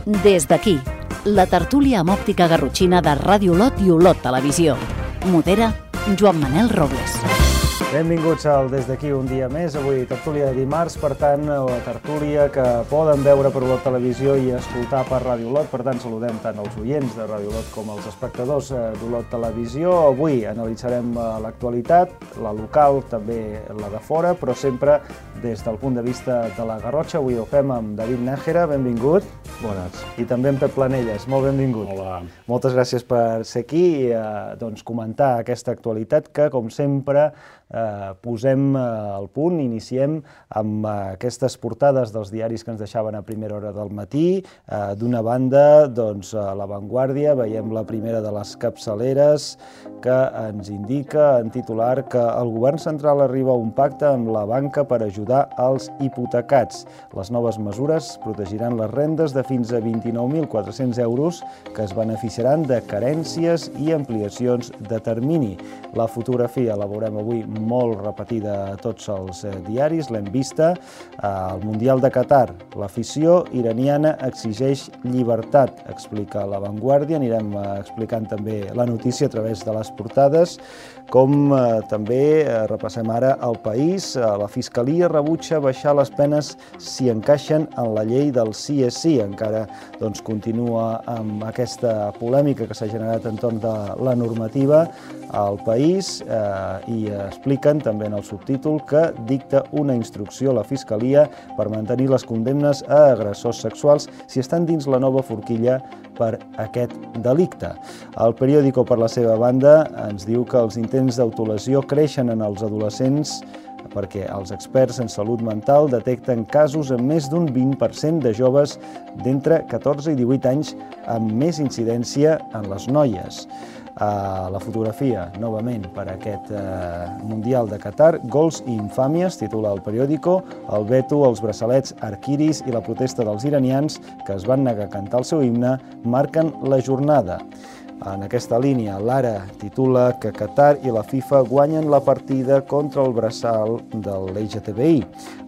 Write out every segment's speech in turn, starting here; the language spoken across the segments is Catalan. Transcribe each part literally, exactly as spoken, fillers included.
Des d'aquí, la tertúlia amb òptica garrotxina de Ràdio Olot i Olot Televisió. Modera Joan Manel Robles. Benvinguts al Des d'aquí un dia més, avui tertúlia de dimarts, per tant, la tertúlia que poden veure per Olot Televisió i escoltar per Ràdio Olot, per tant, saludem tant els oients de Ràdio Olot com els espectadors d'Olot Televisió. Avui analitzarem l'actualitat, la local, també la de fora, però sempre des del punt de vista de la Garrotxa. Avui ho fem amb David Nájera, benvingut. Bones. I també amb Pep Planelles, molt benvingut. Hola. Moltes gràcies per ser aquí i eh, doncs, comentar aquesta actualitat que, com sempre, eh, posem eh, al punt, iniciem amb eh, aquestes portades dels diaris que ens deixaven a primera hora del matí. Eh, D'una banda, doncs, a La Vanguardia veiem la primera de les capçaleres que ens indica en titular que el govern central arriba a un pacte amb la banca per ajudar als hipotecats. Les noves mesures protegiran les rendes de fins a vint-i-nou mil quatre-cents euros que es beneficiaran de carències i ampliacions de termini. La fotografia la veurem avui molt repetida a tots els diaris, l'hem vista. Al Mundial de Qatar, l'afició iraniana exigeix llibertat, explica La Vanguardia. Anirem explicant també la notícia a través de les portades, com eh, també eh, repassem ara El País. La Fiscalia rebutja baixar les penes si encaixen en la llei del sí és sí. Encara doncs, continua amb aquesta polèmica que s'ha generat entorn de la normativa al País eh, i expliquen també en el subtítol que dicta una instrucció a la Fiscalia per mantenir les condemnes a agressors sexuals si estan dins la nova forquilla per aquest delicte. El periòdico, per la seva banda, ens diu que els intents d'autolesió creixen en els adolescents perquè els experts en salut mental detecten casos amb més d'un vint per cent de joves d'entre catorze i divuit anys amb més incidència en les noies. A la fotografia, novament, per aquest eh, Mundial de Qatar, gols i infàmies, titula el periòdico, el veto als braçalets arquiris i la protesta dels iranians que es van negar a cantar el seu himne marquen la jornada. En aquesta línia, l'Ara titula que Qatar i la FIFA guanyen la partida contra el braçal de l'L G T B I.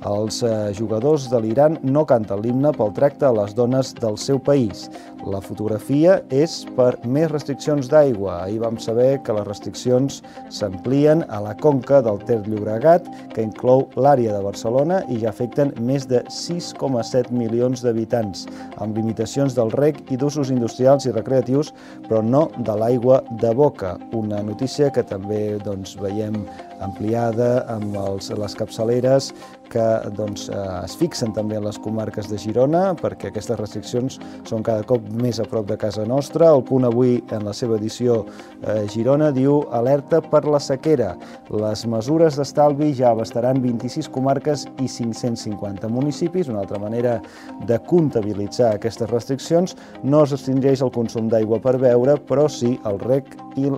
Els eh, jugadors de l'Iran no canten l'himne pel tracte a les dones del seu país. La fotografia és per més restriccions d'aigua. Ahir vam saber que les restriccions s'amplien a la conca del Ter Llobregat, que inclou l'àrea de Barcelona i ja afecten més de sis coma set milions d'habitants, amb limitacions del reg i d'usos industrials i recreatius, però no de l'aigua de boca. Una notícia que també doncs, veiem ampliada amb els, les capçaleres que doncs, es fixen també en les comarques de Girona, perquè aquestes restriccions són cada cop més a prop de casa nostra. El Punt avui, en la seva edició eh, Girona, diu alerta per la sequera. Les mesures d'estalvi ja abastaran vint-i-sis comarques i cinc-cents cinquanta municipis. Una altra manera de comptabilitzar aquestes restriccions. No es restringeix el consum d'aigua per beure, però sí el reg i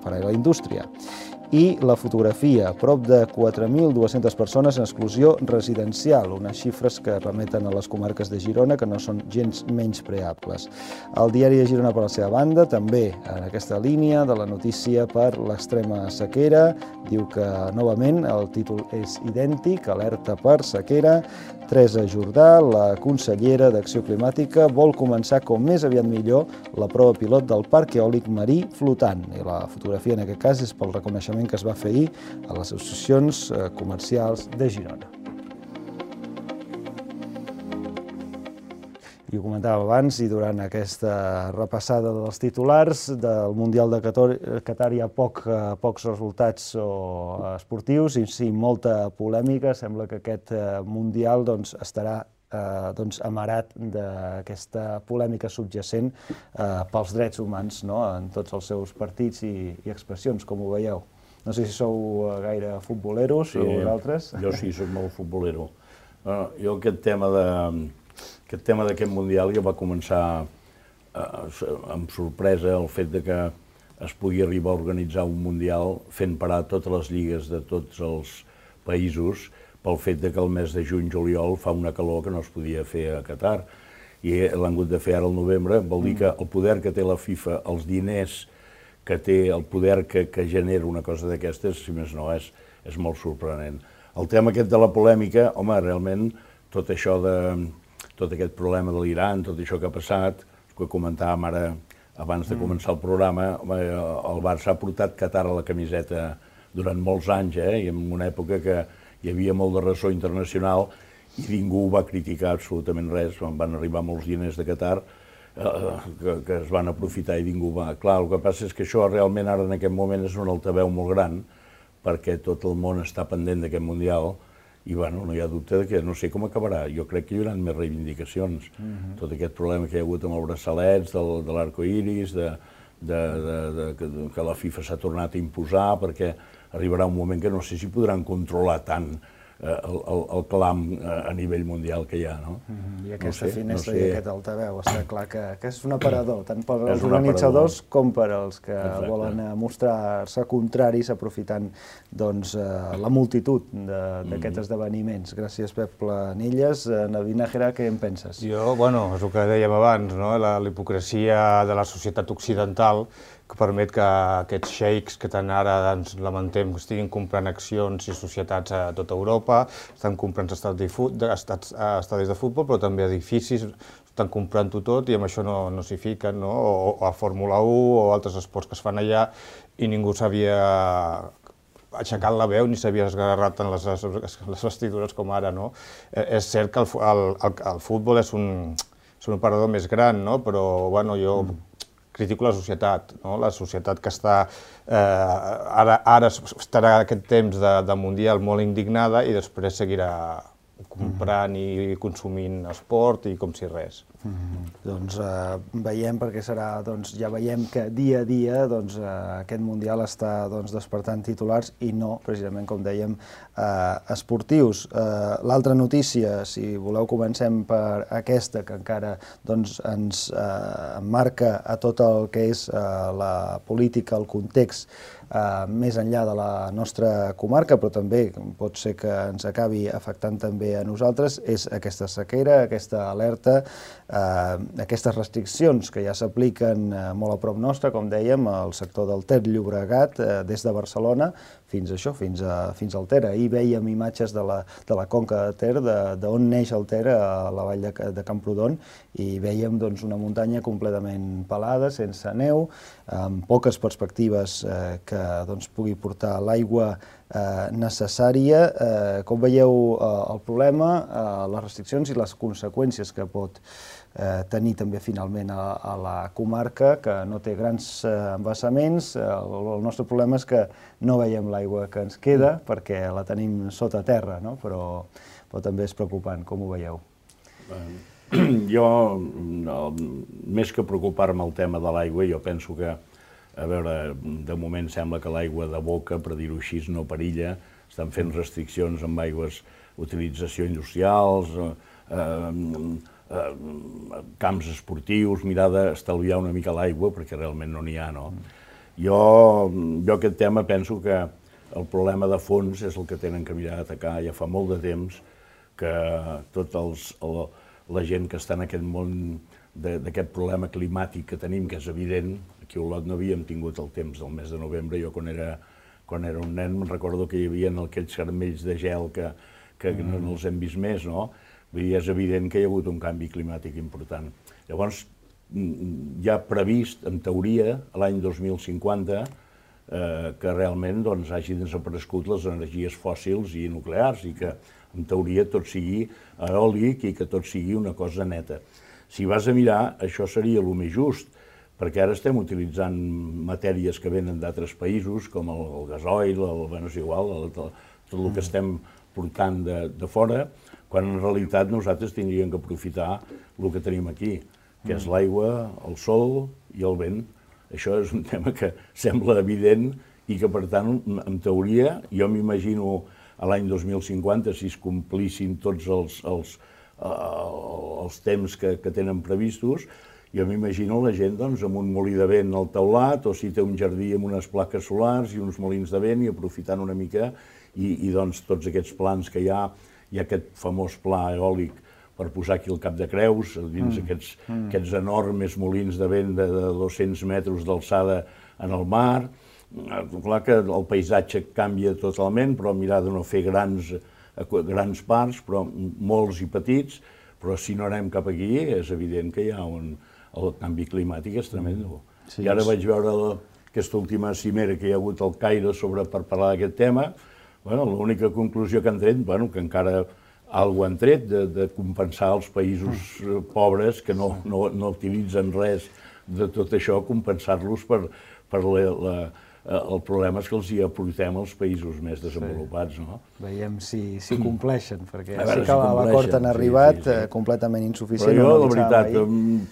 per a la indústria. I la fotografia, prop de quatre mil dues-centes persones en exclusió residencial, unes xifres que remeten a les comarques de Girona que no són gens menyspreables. El diari de Girona, per la seva banda, també en aquesta línia de la notícia per l'extrema sequera, diu que novament el títol és idèntic, alerta per sequera. Teresa Jordà, la consellera d'Acció Climàtica, vol començar com més aviat millor la prova pilot del parc eòlic marí flotant. I la fotografia en aquest cas és pel reconeixement que es va fer ahir a les associacions comercials de Girona. I ho comentava abans, i durant aquesta repassada dels titulars del Mundial de Qatar hi ha poc, pocs resultats esportius i sí, molta polèmica. Sembla que aquest Mundial doncs, estarà eh, doncs, amarat d'aquesta polèmica subjacent eh, pels drets humans, no?, en tots els seus partits i, i expressions, com ho veieu. No sé si sou gaire futboleros sí, o vosaltres. Jo sí, soc molt futbolero. Uh, jo aquest tema de... Aquest tema d'aquest Mundial ja va començar eh, amb sorpresa el fet de que es pugui arribar a organitzar un Mundial fent parar totes les lligues de tots els països pel fet de que el mes de juny-juliol fa una calor que no es podia fer a Qatar i l'han hagut de fer ara al novembre. Vol dir que el poder que té la FIFA, els diners que té, el poder que, que genera una cosa d'aquestes, si més no, és, és molt sorprenent. El tema aquest de la polèmica, home, realment tot això de... tot aquest problema de l'Iran, tot això que ha passat, que comentàvem ara abans de començar el programa, el Barça ha portat Qatar a la camiseta durant molts anys, eh? I en una època que hi havia molt de ressò internacional i ningú va criticar absolutament res, van arribar molts diners de Qatar que, que es van aprofitar i ningú va... Clar, el que passa és que això realment ara en aquest moment és un altaveu molt gran perquè tot el món està pendent d'aquest Mundial i bueno, no hi ha dubte que no sé com acabarà. Jo crec que hi haurà més reivindicacions. Mm-hmm. Tot aquest problema que hi ha hagut amb els braçalets, del, de l'arcoiris, de, de, de, de, que, que la FIFA s'ha tornat a imposar, perquè arribarà un moment que no sé si podran controlar tant eh, el, el, el clam a nivell mundial que hi ha, no? Mm-hmm. I aquesta no sé, finestra no sé. i aquest altaveu, està clar que, que és un aparador, tant per als organitzadors com per als que Exacte. volen mostrar-se contraris aprofitant doncs, la multitud d'aquests mm-hmm. esdeveniments. Gràcies, Pep Planelles. Navi Nájera, què en penses? Jo, bueno, és el que dèiem abans, no? La hipocresia de la societat occidental que permet que aquests xeics que tant ara ens lamentem que estiguin comprant accions i societats a tota Europa, estan comprant estadis de futbol, però també edificis, estan comprant-ho tot i amb això no, no s'hi fiquen, no? O, o a Fórmula u o altres esports que es fan allà i ningú s'havia aixecat la veu ni s'havia esgarrat en les, les vestidures com ara, no? Eh, és cert que el, el, el, el futbol és un, és un operador més gran, no? Però bueno, jo mm. critico la societat, no? La societat que està, eh, ara, ara estarà aquest temps de, de Mundial molt indignada i després seguirà comprant mm-hmm. i consumint esport i com si res. Mm-hmm. Doncs eh, veiem, perquè serà, doncs, ja veiem que dia a dia doncs, eh, aquest Mundial està doncs, despertant titulars i no, precisament com dèiem, eh, esportius. Eh, L'altra notícia, si voleu comencem per aquesta, que encara doncs, ens eh, marca a tot el que és eh, la política, el context, Uh, més enllà de la nostra comarca, però també pot ser que ens acabi afectant també a nosaltres, és aquesta sequera, aquesta alerta, uh, aquestes restriccions que ja s'apliquen uh, molt a prop nostre, com dèiem, al sector del Ter Llobregat, uh, des de Barcelona fins a això, fins, a, fins al Ter. Ahir vèiem imatges de la, de la conca de Ter, d'on neix el Ter, a la vall de, de Camprodon, i vèiem doncs, una muntanya completament pelada, sense neu, amb poques perspectives eh, que doncs, pugui portar l'aigua eh, necessària. Eh, com veieu eh, el problema, eh, les restriccions i les conseqüències que pot eh, tenir també finalment a, a la comarca, que no té grans eh, embassaments. El, el nostre problema és que no veiem l'aigua que ens queda perquè la tenim sota terra, no? però, però també és preocupant. Com ho veieu? Jo, no, més que preocupar-me el tema de l'aigua, jo penso que, a veure, de moment sembla que l'aigua de boca, per dir-ho així, no perilla, estan fent restriccions amb aigües, utilització industrials, eh, eh, camps esportius, mirar d'estalviar una mica l'aigua, perquè realment no n'hi ha, no? Jo, jo aquest tema penso que el problema de fons és el que tenen que mirar d'atacar ja fa molt de temps, que tots els... El, la gent que està en aquest món d'aquest problema climàtic que tenim, que és evident, aquí a Olot no havíem tingut el temps del mes de novembre, jo quan era, quan era un nen me'n recordo que hi havia aquells caramels de gel que, que mm. no, no els hem vist més, no? Vull dir, és evident que hi ha hagut un canvi climàtic important. Llavors, hi ha previst, en teoria, a l'any dos mil cinquanta, eh, que realment doncs, hagin desaparegut les energies fòssils i nuclears i que en teoria tot sigui eòlic i que tot sigui una cosa neta. Si vas a mirar, això seria el més just, perquè ara estem utilitzant matèries que venen d'altres països, com el, el gasoil, el, bueno, és igual, el, tot el que estem portant de, de fora, quan en realitat nosaltres tindríem que aprofitar el que tenim aquí, que és l'aigua, el sol i el vent. Això és un tema que sembla evident i que, per tant, en teoria, jo m'imagino a l'any dos mil cinquanta, si es complissin tots els, els, uh, els temps que, que tenen previstos, jo m'imagino la gent doncs, amb un molí de vent al teulat, o si té un jardí amb unes plaques solars i uns molins de vent, i aprofitant una mica, i, i doncs, tots aquests plans que hi ha, hi ha aquest famós pla eòlic per posar aquí el Cap de Creus, dins mm. aquests, mm. aquests enormes molins de vent de, de dos-cents metres d'alçada en el mar. Clar que el paisatge canvia totalment, però mirar de no fer grans, grans parcs, però molts i petits, Però si no anem cap aquí, és evident que hi ha un... El canvi climàtic és tremendo. Sí, I ara vaig veure la, aquesta última cimera que hi ha hagut al Caire sobre, per parlar d'aquest tema. Bueno, l'única conclusió que han tret, bueno, que encara algo han tret, de, de compensar els països pobres que no, no, no utilitzen res de tot això, compensar-los per, per la, la, el problema és que els hi aportem als països més desenvolupats, sí. No? Veiem si, si compleixen, perquè veure, sí que si a l'acord han arribat, sí, sí, sí. Eh, completament insuficient. Però jo, la veritat,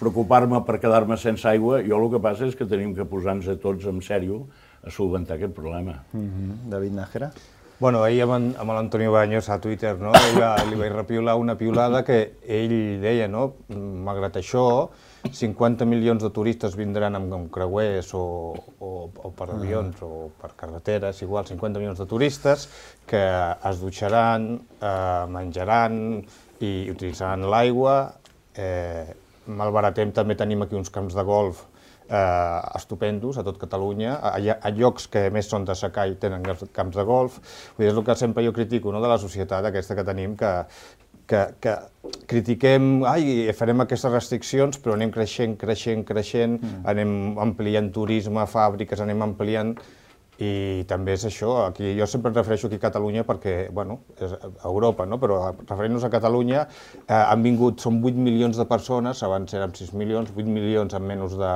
preocupar-me per quedar-me sense aigua, jo el que passa és que tenim que posar-nos a tots en sèrio a solventar aquest problema. Mm-hmm. David Nájera? Bueno, ahir amb, amb l'Antonio Baños a Twitter, no? Ella, li vaig repiular una piulada que ell deia, no? Malgrat això, cinquanta milions de turistes vindran amb, amb creuers o, o, o per avions ah. o per carreteres, igual, cinquanta milions de turistes que es dutxaran, eh, menjaran i utilitzaran l'aigua. Eh, malbaratem, també tenim aquí uns camps de golf Eh, estupendos a tot Catalunya, a, a llocs que a més són de secà i tenen camps de golf. Vull dir, és el que sempre jo critico, no?, de la societat aquesta que tenim, que, que, que critiquem, ai, farem aquestes restriccions, però anem creixent, creixent, creixent, mm. anem ampliant turisme, fàbriques, anem ampliant... I també és això, aquí, jo sempre em refereixo aquí a Catalunya perquè, bueno, és a Europa, no? Però referint-nos a Catalunya, eh, han vingut, són vuit milions de persones, abans érem sis milions, vuit milions en menys de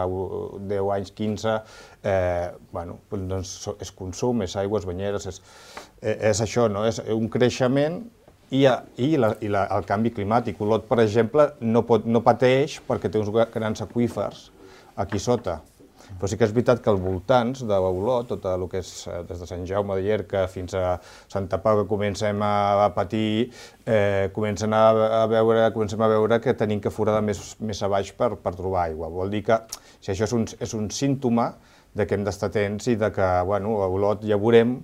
deu anys, quinze, eh, bueno, doncs és consum, és aigües, banyeres, és, és això, no? És un creixement i, i, la, i la, el canvi climàtic. Olot, per exemple, no, pot, no pateix perquè té uns grans aqüífers aquí sota. Però sí que és veritat que als voltants d'Olot, tot el que és des de Sant Jaume de Llierca fins a Santa Pau, que comencem a patir, eh, comencem a, a veure, comencem a veure que tenim que foradar més, més a baix per, per trobar aigua. Vol dir que si això és un, és un símptoma de que hem d'estar atents i de que, bueno, a Olot ja veurem,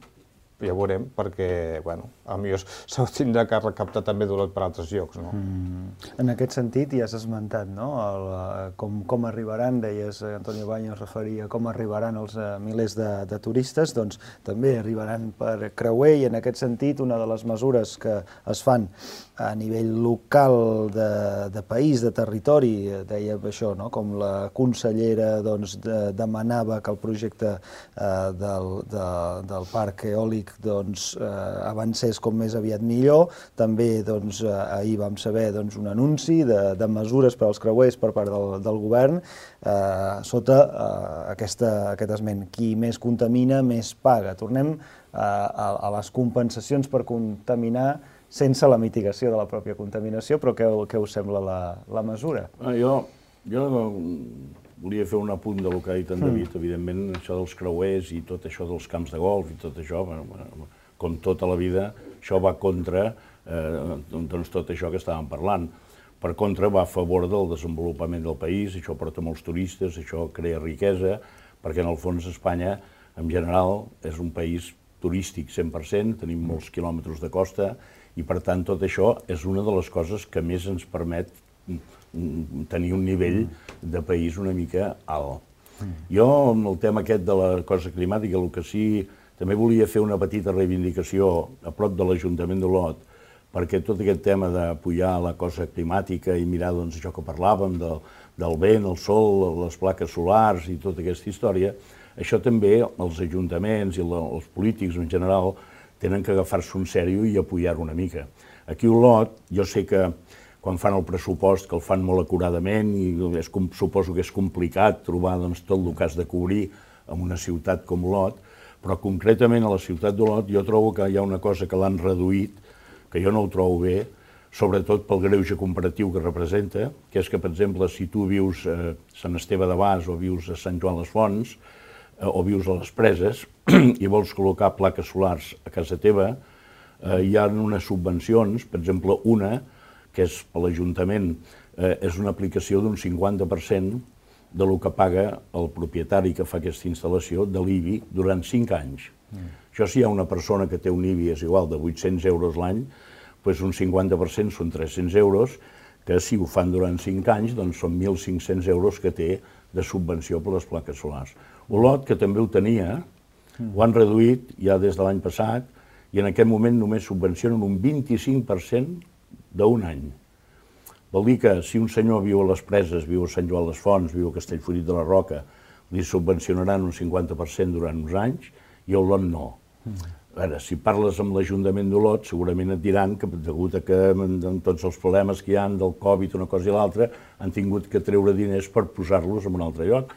ja veurem, perquè, bueno, potser s'ho tindrà que recaptar també d'Olot per altres llocs, no? Mm. En aquest sentit, ja has esmentat, no?, el, com, com arribaran, deies, Antonio Baños referia, com arribaran els uh, milers de, de turistes, doncs també arribaran per creuer, i en aquest sentit, una de les mesures que es fan a nivell local de, de país, de territori, deia això, no?, com la consellera doncs, de, demanava que el projecte eh, del, de, del parc eòlic doncs, eh, avancés com més aviat millor. També doncs, eh, ahir vam saber doncs, un anunci de, de mesures per als creuers per part del, del govern eh, sota eh, aquesta, aquest esment. Qui més contamina, més paga. Tornem eh, a, a les compensacions per contaminar sense la mitigació de la pròpia contaminació, però què, què us sembla la, la mesura? Ah, jo, jo volia fer un apunt del que ha dit en David. Mm. Evidentment, això dels creuers i tot això dels camps de golf i tot això, bueno, com tota la vida, això va contra eh, doncs tot això que estàvem parlant. Per contra, va a favor del desenvolupament del país, això porta molts turistes, això crea riquesa, perquè en el fons Espanya, en general, és un país turístic cent per cent, tenim molts quilòmetres de costa, i per tant tot això és una de les coses que més ens permet tenir un nivell de país una mica alt. Jo, amb el tema aquest de la cosa climàtica, el que sí, també volia fer una petita reivindicació a prop de l'Ajuntament d'Olot, perquè tot aquest tema d'apoyar la cosa climàtica i mirar doncs, això que parlàvem del, del vent, el sol, les plaques solars i tota aquesta història, això també els ajuntaments i la, els polítics en general tenen que agafar-se un sèrio i apoyar-ho una mica. Aquí a Olot, jo sé que quan fan el pressupost, que el fan molt acuradament, i és, suposo que és complicat trobar doncs, tot el que has de cobrir en una ciutat com Olot, però concretament a la ciutat d'Olot jo trobo que hi ha una cosa que l'han reduït, que jo no ho trobo bé, sobretot pel greuge comparatiu que representa, que és que, per exemple, si tu vius a Sant Esteve de Bas o vius a Sant Joan les Fonts, o vius a les Preses i vols col·locar plaques solars a casa teva, eh, hi ha unes subvencions, per exemple, una, que és per l'Ajuntament, eh, és una aplicació d'un cinquanta per cent de lo que paga el propietari que fa aquesta instal·lació de l'I B I durant cinc anys. Mm. Això si hi ha una persona que té un I B I és igual de vuit-cents euros l'any, doncs un cinquanta per cent són tres-cents euros, que si ho fan durant cinc anys doncs són mil cinc-cents euros que té de subvenció per les plaques solars. Olot, que també ho tenia, ho han reduït ja des de l'any passat i en aquest moment només subvencionen un vint-i-cinc per cent d'un any. Vol dir que si un senyor viu a les Preses, viu a Sant Joan les Fonts, viu a Castellfollit de la Roca, li subvencionaran un cinquanta per cent durant uns anys i a Olot no. A veure, si parles amb l'Ajuntament d'Olot, segurament et diran que, degut a que amb tots els problemes que hi ha del Covid, una cosa i l'altra, han tingut que treure diners per posar-los en un altre lloc.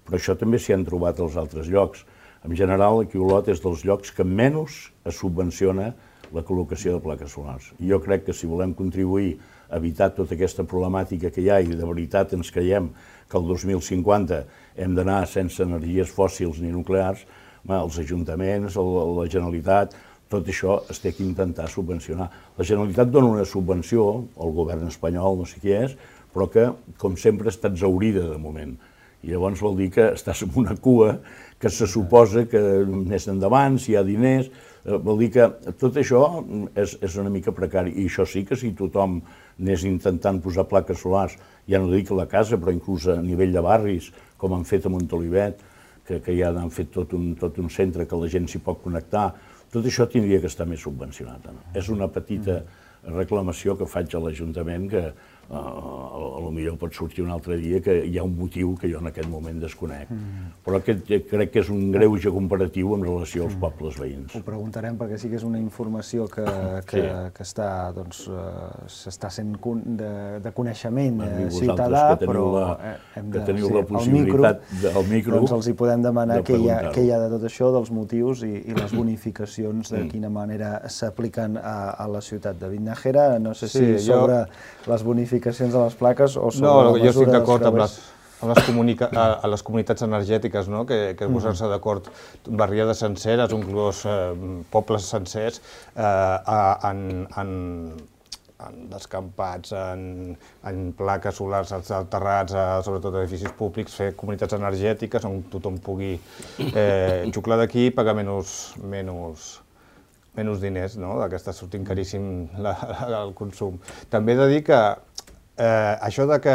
Però això també s'hi han trobat als altres llocs. En general, aquí Olot és dels llocs que menys es subvenciona la col·locació de plaques solars. I jo crec que si volem contribuir a evitar tota aquesta problemàtica que hi ha i de veritat ens creiem que el dos mil cinquanta hem d'anar sense energies fòssils ni nuclears, els ajuntaments, la Generalitat, tot això es té que intentar subvencionar. La Generalitat dona una subvenció, el govern espanyol, no sé qui és, però que, com sempre, està exhaurida de moment. I llavors vol dir que estàs en una cua que se suposa que més endavant, si hi ha diners, vol dir que tot això és, és una mica precari. I això sí que si tothom anés intentant posar plaques solars, ja no dic a la casa, però inclús a nivell de barris, com han fet a Montolivet, que, que ja han fet tot un, tot un centre que la gent s'hi pot connectar, tot això tindria que estar més subvencionat. No? És una petita reclamació que faig a l'Ajuntament que uh, a lo millor pot sortir un altre dia que hi ha un motiu que jo en aquest moment desconec. Mm. Però aquest, crec que és un greuge comparatiu en relació als pobles veïns. Ho preguntarem perquè sí que és una informació que, que, sí. que està, doncs, s'està sent de, de coneixement eh, ciutadà, però la, hem de, que teniu sí, la possibilitat al micro, al micro doncs els hi podem demanar què hi, ha, què hi ha de tot això, dels motius i, i les bonificacions, de quina manera s'apliquen a, a la ciutat de Vitnajera. No sé si sí, sobre jo... les bonificacions de les plaques o sobre no, la mesura jo estic d'acord amb les... A les, comunica a, a les comunitats energètiques, no? que, que posar-se d'acord barriades senceres, inclús eh, pobles sencers, eh, en, en, en descampats, en, en plaques solars alterrats, a, sobretot a edificis públics, fer comunitats energètiques on tothom pugui eh, xuclar d'aquí i pagar menys, menys, menys diners, no? Que està sortint caríssim la, la, el consum. També he de dir que Eh, això de que,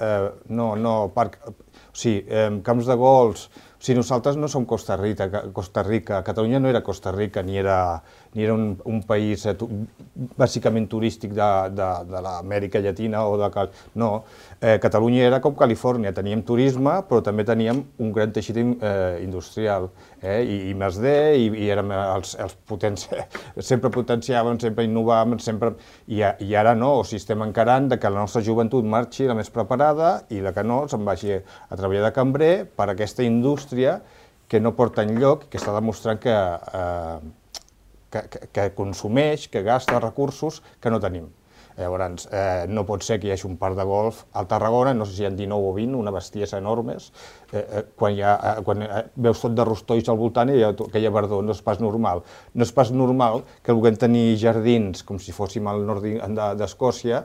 eh, no, no, parc, o sigui, eh, camps de golf, o sigui, nosaltres no som Costa Rica, Costa Rica, Catalunya no era Costa Rica, ni era, ni era un, un país eh, tu, bàsicament turístic de, de, de l'Amèrica Llatina o de... No, eh, Catalunya era com Califòrnia, teníem turisme, però també teníem un gran teixit eh, industrial, eh, i, i més de, i, i érem els, els potents, sempre potenciàvem, sempre innovàvem, sempre... I, i ara no, o sigui, estem encarant de que la nostra joventut marxi la més preparada i la que no se'n vagi a treballar de cambrer per aquesta indústria que no porta enlloc, que està demostrant que, eh, que, que, que consumeix, que gasta recursos que no tenim. Llavors, eh, no pot ser que hi hagi un parc de golf al Tarragona, no sé si hi ha dinou o vint, una bestiesa enormes, eh, eh, quan, hi ha, eh, quan eh, veus tot de rostolls al voltant i hi ha aquella verdor, no és pas normal. No és pas normal que vulguem tenir jardins com si fóssim al nord d'Escòcia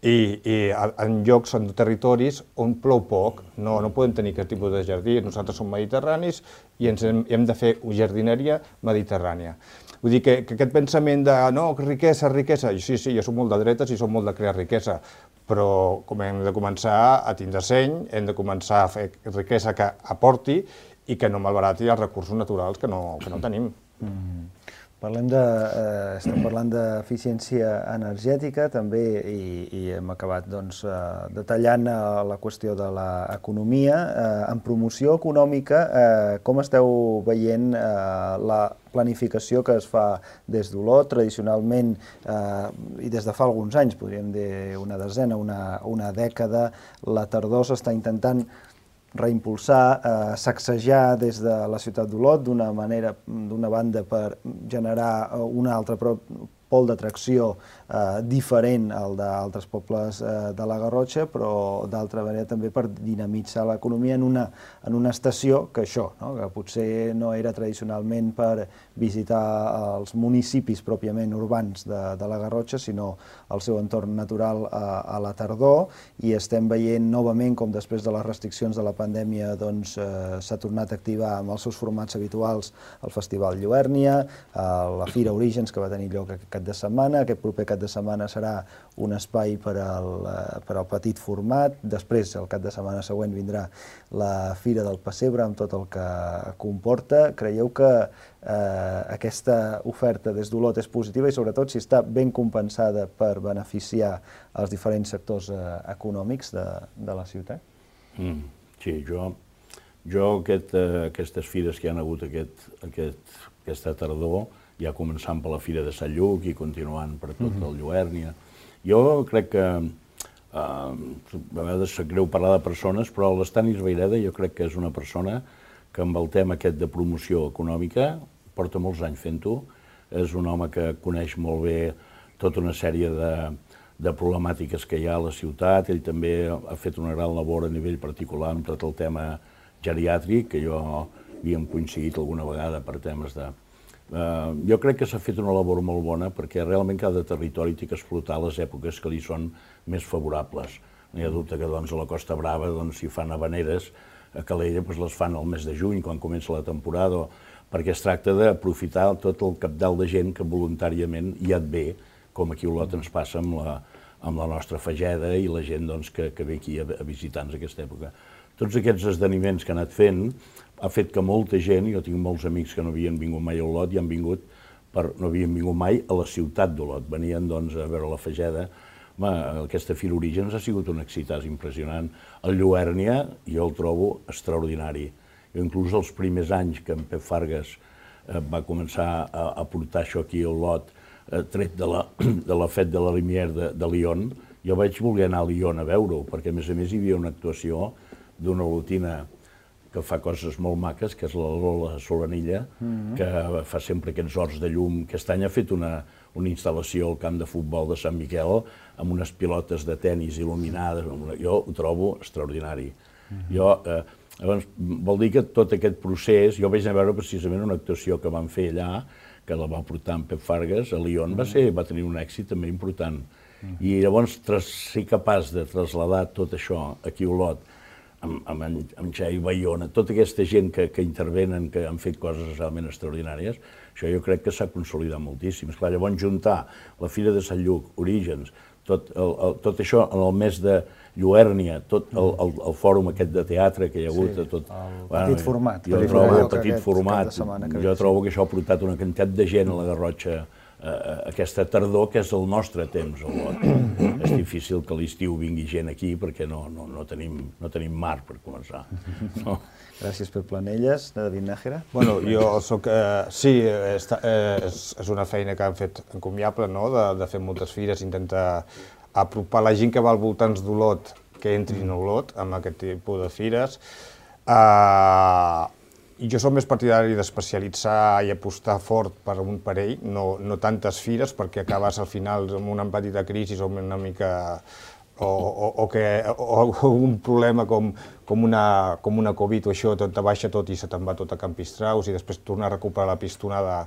i, i en llocs, en territoris on plou poc, no, no podem tenir aquest tipus de jardí. Nosaltres som mediterranis i ens hem, hem de fer jardineria mediterrània. Vull dir que, que aquest pensament de no, riquesa, riquesa, sí, sí, jo soc molt de dretes i soc molt de crear riquesa, però com hem de començar a tindre seny, hem de començar a fer riquesa que aporti i que no malbarati els recursos naturals que no, que no tenim. Mm. Parlem de, eh, estem parlant d'eficiència energètica també i, i hem acabat doncs, eh, detallant eh, la qüestió de l'economia. Eh, en promoció econòmica, eh, com esteu veient eh, la planificació que es fa des d'Olot, tradicionalment, eh, i des de fa alguns anys, podríem dir una desena, una, una dècada, la tardor s'està intentant reimpulsar, eh, sacsejar des de la ciutat d'Olot d'una manera, d'una banda per generar un altre pol d'atracció eh, diferent al d'altres pobles eh, de la Garrotxa, però d'altra manera també per dinamitzar l'economia en una, en una estació que això, no? Que potser no era tradicionalment per visitar els municipis pròpiament urbans de, de la Garrotxa, sinó el seu entorn natural a, a la tardor, i estem veient novament com després de les restriccions de la pandèmia doncs, eh, s'ha tornat a activar amb els seus formats habituals el Festival Lluèrnia, eh, la Fira Orígens, que va tenir lloc cap de setmana. Aquest proper cap de setmana serà un espai per al, per al petit format. Després, el cap de setmana següent, vindrà la Fira del Pessebre amb tot el que comporta. Creieu que eh, aquesta oferta des d'Olot és positiva i sobretot si està ben compensada per beneficiar els diferents sectors eh, econòmics de, de la ciutat? Mm, sí, jo, jo aquest, eh, aquestes fires que hi ha hagut aquest, aquest, aquesta tardor, ja començant per la Fira de Sant Lluc i continuant per tot el Lluèrnia. Jo crec que, eh, a vegades sap greu parlar de persones, però l'Estanis Vayreda jo crec que és una persona que amb el tema aquest de promoció econòmica porta molts anys fent-ho, és un home que coneix molt bé tota una sèrie de, de problemàtiques que hi ha a la ciutat. Ell també ha fet una gran labor a nivell particular amb tot el tema geriàtric, que jo havíem coincidit alguna vegada per temes de... Uh, jo crec que s'ha fet una labor molt bona perquè realment cada territori té que explotar les èpoques que li són més favorables. No hi ha dubte que doncs, a la Costa Brava doncs, si fan habaneres, a Calella doncs, les fan al mes de juny, quan comença la temporada, perquè es tracta d'aprofitar tot el capdalt de gent que voluntàriament hi et ve, com aquí a Olot ens passa amb la, amb la nostra Fageda i la gent doncs, que, que ve aquí a, a visitar-nos aquesta època. Tots aquests esdeveniments que ha anat fent ha fet que molta gent, jo tinc molts amics que no havien vingut mai a Olot i han vingut per, no havien vingut mai a la ciutat d'Olot, venien doncs, a veure la Fageda. Home, aquesta Fira Orígens ha sigut un èxit impressionant. El Lluèrnia jo el trobo extraordinari. Jo, inclús els primers anys que en Pep Fargas eh, va començar a, a portar això aquí a Olot, eh, tret de la, de la Fête de la Lumière de, de Lyon, jo vaig voler anar a Lyon a veure-ho, perquè a més a més hi havia una actuació d'una olotina que fa coses molt maques, que és la Lola Solanilla, mm-hmm. que fa sempre aquests horts de llum. Aquest any ha fet una, una instal·lació al camp de futbol de Sant Miquel amb unes pilotes de tennis il·luminades. Jo ho trobo extraordinari. Mm-hmm. Jo, eh, llavors, vol dir que tot aquest procés, jo vaig anar a veure precisament una actuació que van fer allà, que la va portar en Pep Fargas, a Lyon, mm-hmm. va, ser, va tenir un èxit també important. Mm-hmm. I llavors tras, ser capaç de traslladar tot això aquí a Olot, amb, amb, en, amb Xavi Bayona, tota aquesta gent que, que intervenen, que han fet coses realment extraordinàries, això jo crec que s'ha consolidat moltíssim. Esclar, llavors juntar la Fira de Sant Lluc, Orígens, tot, el, el, tot això en el mes de Lluèrnia, tot el, el, el fòrum aquest de teatre que hi ha hagut, sí, tot, el bueno, petit format. Jo trobo el petit format, jo trobo que això ha portat una quantitat de gent a la Garrotxa Uh, aquesta tardor, que és el nostre temps a Olot. És difícil que a l'estiu vingui gent aquí perquè no, no, no, tenim, no tenim mar per començar. No? Gràcies per Planelles. David Nájera? Bueno, jo soc... Eh, sí, està, eh, és, és una feina que han fet encomiable, no?, de, de fer moltes fires, intentar apropar la gent que va al voltants d'Olot, que entrin a Olot amb aquest tipus de fires. Eh, I jo soc més partidari d'especialitzar i apostar fort per un parell, no, no tantes fires, perquè acabes al final amb una petita crisi o una mica... o, o, o, que, o, o un problema com, com, una, com una Covid o això, tot te baixa tot i se te'n va tot a Campistraus i després tornar a recuperar la pistonada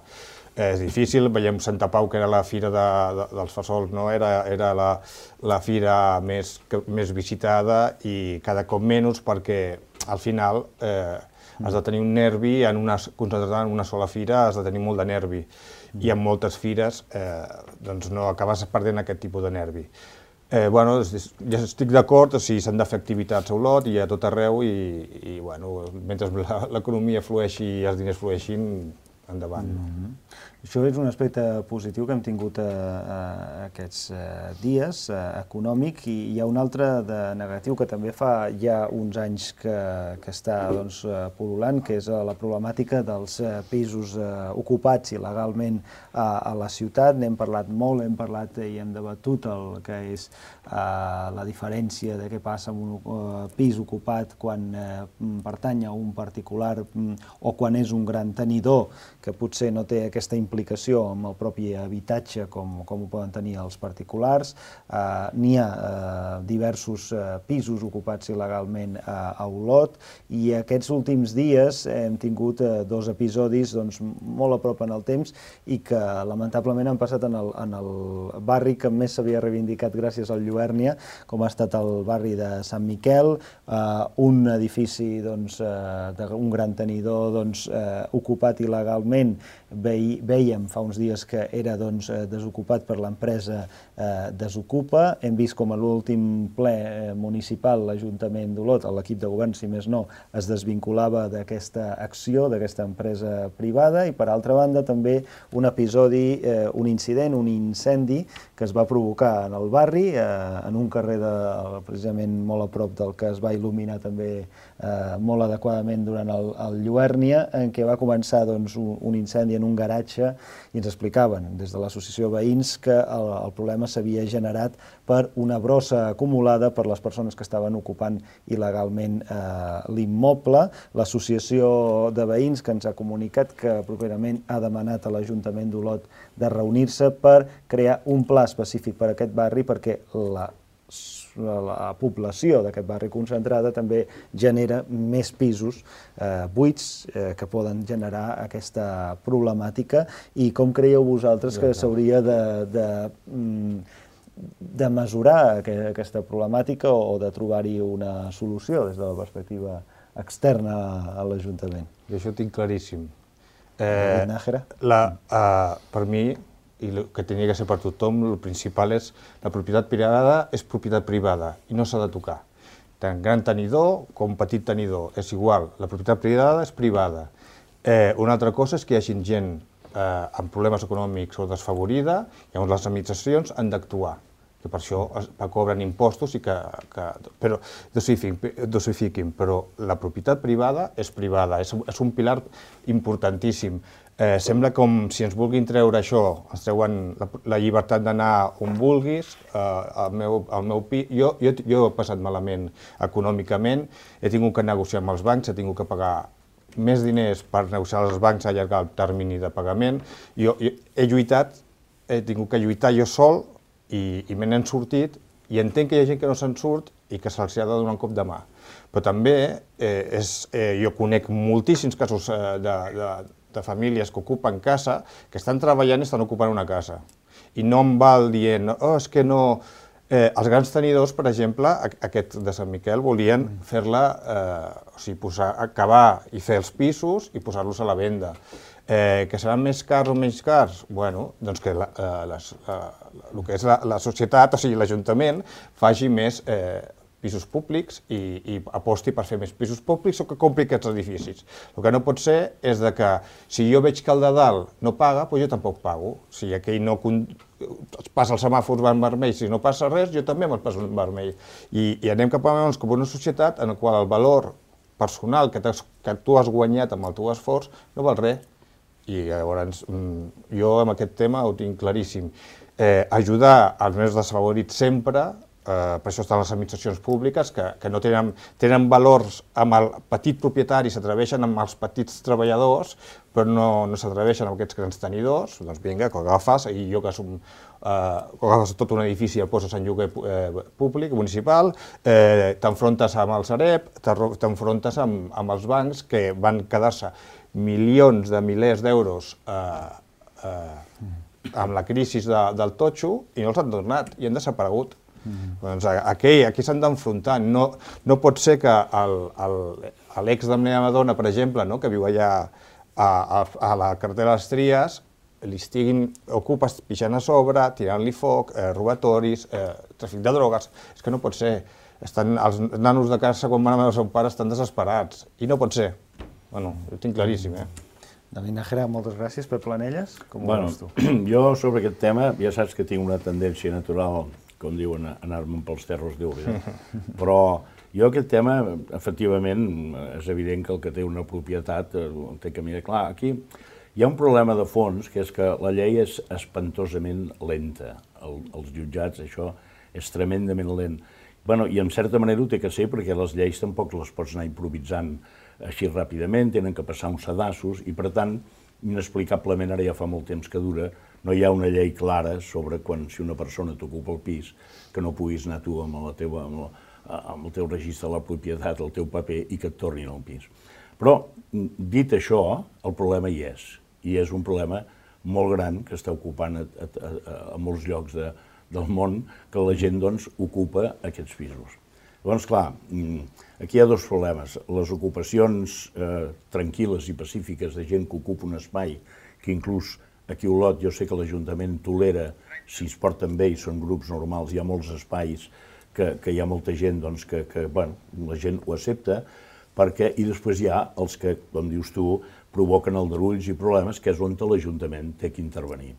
és difícil. Veiem Santa Pau, que era la fira de, de, dels Fesols, no? era, era la, la fira més, que, més visitada i cada cop menys perquè al final eh, has de tenir un nervi, en una, concentrat en una sola fira has de tenir molt de nervi. I en moltes fires eh, doncs no acabes perdent aquest tipus de nervi. Eh, bueno, ja estic d'acord, o sigui, s'han de fer activitats a Olot i a tot arreu i, i bueno, mentre l'economia flueixi i els diners flueixin, endavant. Mm-hmm. Això és un aspecte positiu que hem tingut a, a aquests a, dies, a, econòmic, i hi ha un altre de negatiu que també fa ja uns anys que, que està doncs, pol·lulant, que és la problemàtica dels pisos uh, ocupats il·legalment a, a la ciutat. N'hem parlat molt, hem parlat i hem debatut el que és uh, la diferència de què passa amb un uh, pis ocupat quan uh, pertany a un particular um, o quan és un gran tenidor que potser no té aquesta implicació amb el propi habitatge com, com ho poden tenir els particulars. Uh, N'hi ha uh, diversos uh, pisos ocupats il·legalment uh, a Olot i aquests últims dies hem tingut uh, dos episodis doncs, molt a prop en el temps i que lamentablement han passat en el, en el barri que més s'havia reivindicat gràcies al Lluèrnia, com ha estat el barri de Sant Miquel, uh, un edifici doncs, uh, d'un gran tenidor doncs, uh, ocupat il·legalment, veia vèiem fa uns dies que era desocupat per l'empresa Desocupa. Hem vist com a l'últim ple municipal l'Ajuntament d'Olot, l'equip de govern, si més no, es desvinculava d'aquesta acció, d'aquesta empresa privada, i per altra banda també un episodi, un incident, un incendi que es va provocar en el barri, en un carrer precisament molt a prop del que es va il·luminar també molt adequadament durant el Lluèrnia, en què va començar un incendi en un garatge i ens explicaven des de l'associació de veïns que el problema s'havia generat per una brossa acumulada per les persones que estaven ocupant il·legalment l'immoble. L'associació de veïns que ens ha comunicat que properament ha demanat a l'Ajuntament d'Olot de reunir-se per crear un pla específic per a aquest barri, perquè la la població d'aquest barri concentrada també genera més pisos buits que poden generar aquesta problemàtica. I com creieu vosaltres que s'hauria de mesurar aquesta problemàtica o de trobar-hi una solució des de la perspectiva externa a l'Ajuntament? Jo això ho tinc claríssim. Nájera? Per mi, i el que tenia que ser per tothom, el principal és la propietat privada és propietat privada i no s'ha de tocar. Tant gran tenidor com petit tenidor, és igual, la propietat privada és privada. Una altra cosa és que hi hagi gent amb problemes econòmics o desfavorida, llavors les administracions han d'actuar, que per això cobren impostos i que dosifiquin, però la propietat privada és privada, és un pilar importantíssim. Sembla com si ens vulguin treure això, ens treuen la llibertat d'anar on vulguis, al meu pis. Jo he passat malament econòmicament, he tingut que negociar amb els bancs, he tingut que pagar més diners per negociar als bancs a allargar el termini de pagament. Jo he lluitat, he tingut que lluitar jo sol i me n'he sortit, i entenc que hi ha gent que no se'n surt i que se'ls ha de donar un cop de mà. Però també jo conec moltíssims casos de de famílies que ocupen casa, que estan treballant i estan ocupant una casa. I no em val dient, oh, és que no... Els grans tenidors, per exemple, aquest de Sant Miquel, volien fer-la, o sigui, acabar i fer els pisos i posar-los a la venda. Que seran més cars o menys cars? Bueno, doncs que el que és la societat, o sigui, l'Ajuntament, faci més pisos públics i aposti per fer més pisos públics o que compri aquests edificis. El que no pot ser és que si jo veig que el de dalt no paga, doncs jo tampoc pago. Si aquell no passa els semàfors en vermell, si no passa res, jo també me'l passo en vermell. I anem cap a una societat en la qual el valor personal que tu has guanyat amb el teu esforç no val res. I llavors jo amb aquest tema ho tinc claríssim. Ajudar els més desfavorits sempre, per això estan les administracions públiques, que no tenen valors amb el petit propietari, s'atreveixen amb els petits treballadors, però no s'atreveixen amb aquests grans tenidors. Doncs vinga, que agafes, i jo que agafes tot un edifici i el poses en lloguer públic, municipal, t'enfrontes amb el Sareb, t'enfrontes amb els bancs que van quedar-se milions de milers d'euros amb la crisi del totxo i no els han tornat i han desaparegut. Aquí s'han d'enfrontar. No pot ser que l'ex de la meva dona, per exemple, que viu allà a la carretera de les Tries, li estiguin ocupes pixant a sobre, tirant-li foc, robatoris, tràfic de drogues. És que no pot ser. Els nanos de casa, quan van a veure el seu pare, estan desesperats. I no pot ser. Bueno, ho tinc claríssim, eh? David Nájera, moltes gràcies. Pep Planelles, com ho veus tu? Jo, sobre aquest tema, ja saps que tinc una tendència natural, com diuen, anar-me'n pels terros d'Úria. Però jo aquest tema, efectivament, és evident que el que té una propietat té camí de clar. Aquí hi ha un problema de fons, que és que la llei és espantosament lenta. Els jutjats, això, és tremendament lent. I en certa manera ho té que ser, perquè les lleis tampoc les pots anar improvisant així ràpidament, tenen que passar uns sedassos, i per tant, inexplicablement, ara ja fa molt temps que dura, no hi ha una llei clara sobre quan, si una persona t'ocupa el pis, que no puguis anar tu amb el teu registre de la propietat, el teu paper, i que et tornin al pis. Però, dit això, el problema hi és, i és un problema molt gran que està ocupant a molts llocs del món, que la gent ocupa aquests pisos. Llavors, clar, aquí hi ha dos problemes. Les ocupacions tranquil·les i pacífiques de gent que ocupa un espai que inclús aquí a Olot jo sé que l'Ajuntament tolera, si es porten bé i són grups normals, hi ha molts espais que, que hi ha molta gent doncs, que, que bueno, la gent ho accepta, perquè, i després hi ha els que, com dius tu, provoquen aldarulls i problemes, que és on l'Ajuntament té que intervenir.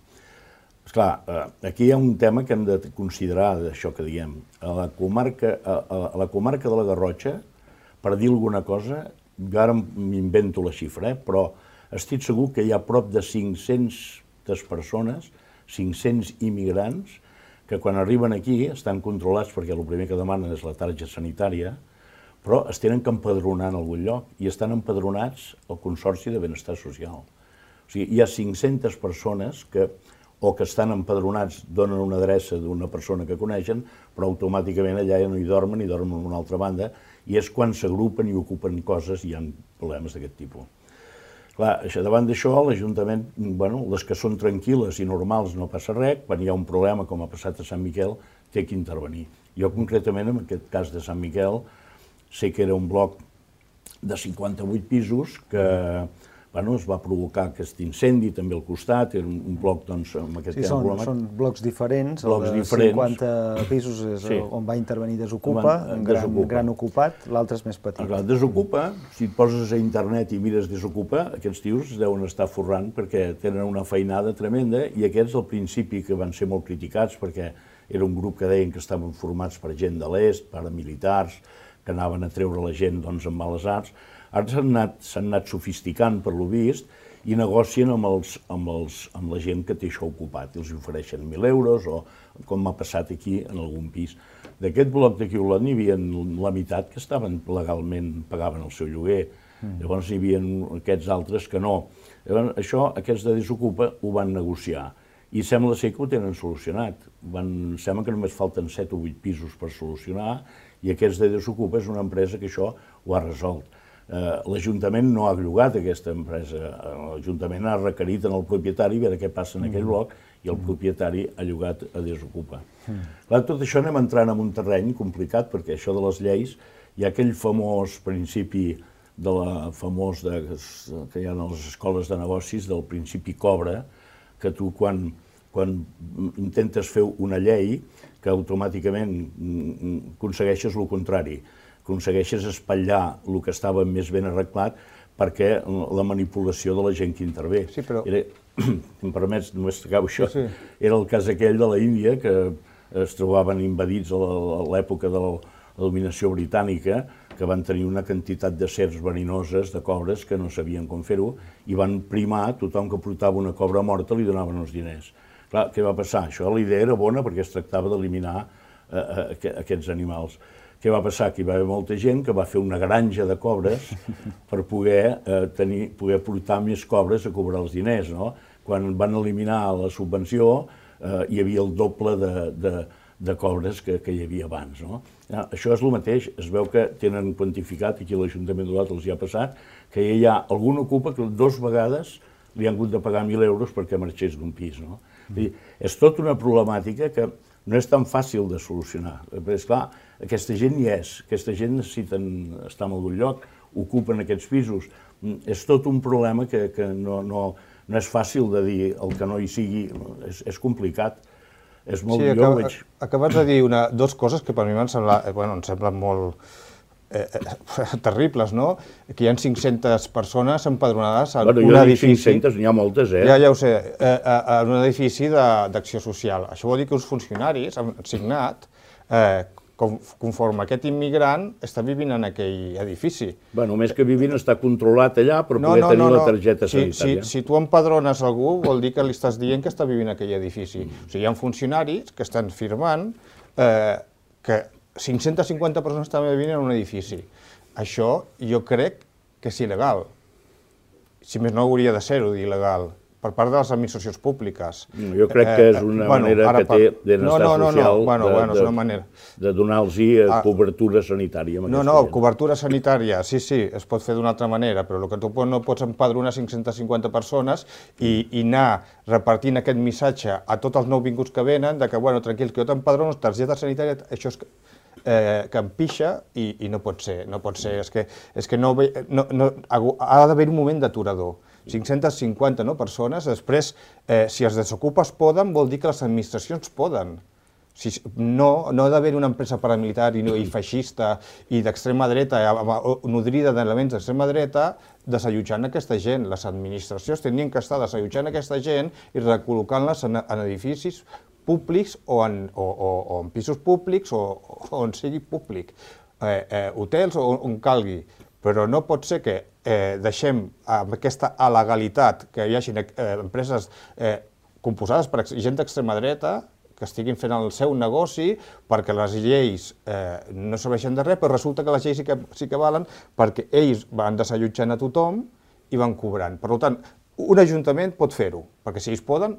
Esclar, aquí hi ha un tema que hem de considerar d'això que diem. A la comarca, a, a la comarca de la Garrotxa, per dir alguna cosa, jo ara m'invento la xifra, eh, però estic segur que hi ha prop de cinc-centes persones, cinc-cents immigrants, que quan arriben aquí estan controlats perquè el primer que demanen és la targeta sanitària, però es tenen que empadronar en algun lloc i estan empadronats al Consorci de Benestar Social. O sigui, hi ha cinc-centes persones que o que estan empadronats, donen una adreça d'una persona que coneixen, però automàticament allà ja no hi dormen, hi dormen en una altra banda, i és quan s'agrupen i ocupen coses i hi ha problemes d'aquest tipus. Clar, davant d'això, l'Ajuntament, bueno, les que són tranquil·les i normals no passa res, quan hi ha un problema, com ha passat a Sant Miquel, té que intervenir. Jo, concretament, en aquest cas de Sant Miquel, sé que era un bloc de cinquanta-vuit pisos que bueno, es va provocar aquest incendi també al costat, era un bloc doncs, amb aquest sí, tema problemàtic. Són blocs diferents, blocs el de diferents. cinquanta pisos és sí. on va intervenir Desocupa, un gran, Desocupa. gran ocupat, l'altre és més petit. Clar, Desocupa, si et poses a internet i mires Desocupa, aquests tios es deuen estar forrant perquè tenen una feinada tremenda i aquests al principi que van ser molt criticats perquè era un grup que deien que estaven formats per gent de l'est, paramilitars, que anaven a treure la gent doncs, amb males arts. Ara s'han anat, anat sofisticant, per lo vist, i negocien amb, els, amb, els, amb la gent que té això ocupat. Els ofereixen mil euros, o com m'ha passat aquí en algun pis. D'aquest bloc d'aquí a Olot n'hi havia la meitat que estaven legalment, pagaven el seu lloguer. Mm. Llavors n'hi havia aquests altres que no. Llavors, això, aquests de Desocupa ho van negociar. I sembla ser que ho tenen solucionat. Van, sembla que només falten set o vuit pisos per solucionar, i aquests de Desocupa és una empresa que això ho ha resolt. Uh, L'Ajuntament no ha llogat aquesta empresa, l'Ajuntament ha requerit en el propietari a veure què passa en aquell bloc i el propietari ha llogat a Desocupa. Mm. Clar, tot això anem entrant en un terreny complicat perquè això de les lleis, hi ha aquell famós principi de la famós de, que hi ha a les escoles de negocis del principi cobra, que tu quan, quan intentes fer una llei que automàticament aconsegueixes el contrari. Aconsegueixes espatllar el que estava més ben arreglat perquè la manipulació de la gent que intervé. Sí, però... Era, si em permets, només t'acabo això, sí. Era el cas aquell de la Índia, que es trobaven invadits a l'època de la dominació britànica, que van tenir una quantitat de serps verinoses, de cobres, que no sabien com fer-ho, i van primar, tothom que portava una cobra morta li donaven els diners. Clar, què va passar? Això, la idea era bona perquè es tractava d'eliminar eh, aquests animals. Què va passar? Que hi va haver molta gent que va fer una granja de cobres per poder, eh, tenir, poder portar més cobres a cobrar els diners. No? Quan van eliminar la subvenció, eh, hi havia el doble de, de, de cobres que, que hi havia abans. No? Ja, això és el mateix, es veu que tenen quantificat, aquí a l'Ajuntament d'Olot els hi ha passat, que hi ha algun ocupa que dues vegades li han hagut de pagar mil euros perquè marxés d'un pis. No? Mm. És tota una problemàtica que no és tan fàcil de solucionar. Però, esclar, aquesta gent hi és, aquesta gent necessiten estar en algun lloc, ocupen aquests pisos. És tot un problema que, que no, no, no és fàcil de dir el que no hi sigui, és, és complicat. És molt sí, millor, acab veig... acabes de dir una, dos coses que per mi m'han semblat, bueno, em semblen molt eh, eh, terribles, no? Que hi ha cinc-centes persones empadronades en bueno, un edifici... cinc-centes, n'hi ha moltes, eh? Ja, ja ho sé, eh, en un edifici d'acció social. Això vol dir que uns funcionaris han signat eh, conforme aquest immigrant està vivint en aquell edifici. Bueno, més que vivint està controlat allà per no, poder no, tenir no, la no. targeta si, sanitària. Si, si tu empadrones algú, vol dir que li estàs dient que està vivint en aquell edifici. Mm. O sigui, hi ha funcionaris que estan firmant eh, que cinc-centes cinquanta persones estan vivint en un edifici. Això jo crec que és il·legal. Si més no, hauria de ser-ho d'il·legal. Per part de les administracions públiques. Jo crec que és una bueno, manera que té d'estar no, no, no, social no. Bueno, de, bueno, és una de, manera. de donar-los ah, cobertura sanitària. No, no, gent. Cobertura sanitària, sí, sí, es pot fer d'una altra manera, però el que tu no pots empadronar cinc-centes cinquanta persones i, i anar repartint aquest missatge a tots els nouvinguts que venen, de que, bueno, tranquils, que jo t'empadrono, targeta sanitària, això és... Eh, que em pixa i, i no pot ser, no pot ser, és que, és que no, no, no, ha d'haver un moment d'aturador. cinc-centes cinquanta persones. Després, si els desocupes poden, vol dir que les administracions poden. No, no ha d'haver una empresa paramilitar i feixista i d'extrema dreta, nodrida d'elements d'extrema dreta, desallotjant aquesta gent. Les administracions tenien que estar desallotjant aquesta gent i recol·locant-les en edificis públics o en pisos públics o on sigui públic, hotels o on calgui. Però no pot ser que deixem amb aquesta alegalitat que hi hagi empreses composades per gent d'extrema dreta que estiguin fent el seu negoci perquè les lleis no serveixen de res, però resulta que les lleis sí que valen perquè ells van desallotjant a tothom i van cobrant. Per tant, un ajuntament pot fer-ho, perquè si ells poden,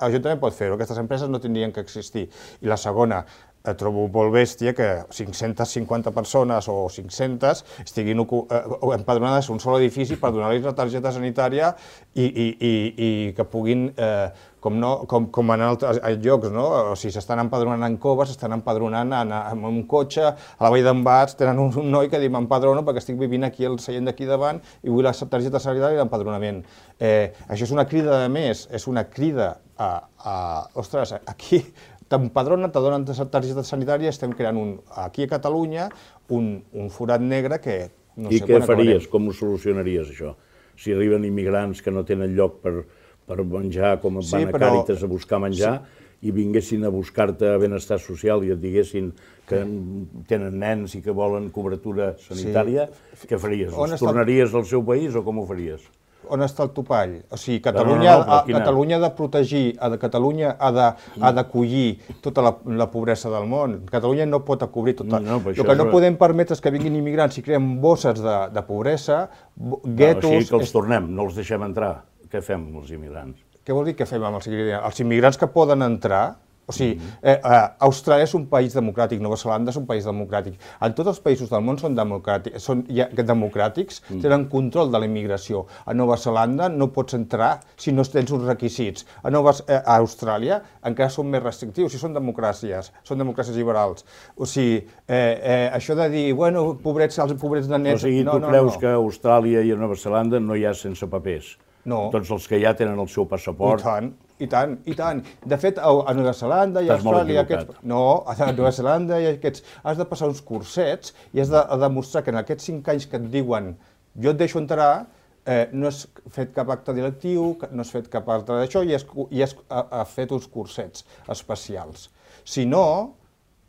l'Ajuntament pot fer-ho, aquestes empreses no tindrien que existir. I la segona, trobo molt bèstia que cinc-centes cinquanta persones o cinc-centes estiguin empadronades en un sol edifici per donar-los la targeta sanitària i que puguin, com en altres llocs, o sigui, s'estan empadronant en coves, s'estan empadronant en un cotxe, a la Vall d'en Bas tenen un noi que diu m'empadrono perquè estic vivint aquí al seient d'aquí davant i vull la targeta sanitària i l'empadronament. Això és una crida de més, és una crida a... Ostres, aquí... t'empadronen, te donen targeta sanitària, estem creant aquí a Catalunya un forat negre que no sé quan acabarem. I què faries? Com ho solucionaries, això? Si arriben immigrants que no tenen lloc per menjar, com van a Càritas a buscar menjar, i vinguessin a buscar-te benestar social i et diguessin que tenen nens i que volen cobertura sanitària, què faries? Els tornaries al seu país o com ho faries? On està el topall? O sigui, Catalunya ha de protegir, Catalunya ha d'acollir tota la pobresa del món. Catalunya no pot cobrir tota... El que no podem permetre és que vinguin immigrants i creem bosses de pobresa, guetos... O sigui que els tornem, no els deixem entrar. Què fem amb els immigrants? Què vol dir que fem amb els immigrants? Els immigrants que poden entrar... O sigui, Austràlia és un país democràtic, Nova Zelanda és un país democràtic. En tots els països del món són democràtics, tenen control de la immigració. A Nova Zelanda no pots entrar si no tens uns requisits. A Austràlia encara són més restrictius, si són democràcies, són democràcies liberals. O sigui, això de dir, bueno, pobrets, els pobrets de nets... O sigui, tu creus que a Austràlia i a Nova Zelanda no hi ha sense papers? No. Tots els que ja tenen el seu passaport... I tant. I tant, i tant. De fet, a Nova Zelanda i a Austràlia... No, a Nova Zelanda i aquests... Has de passar uns cursets i has de demostrar que en aquests cinc anys que et diuen jo et deixo entrar, no has fet cap acte directiu, no has fet cap altre d'això i has fet uns cursets especials. Si no...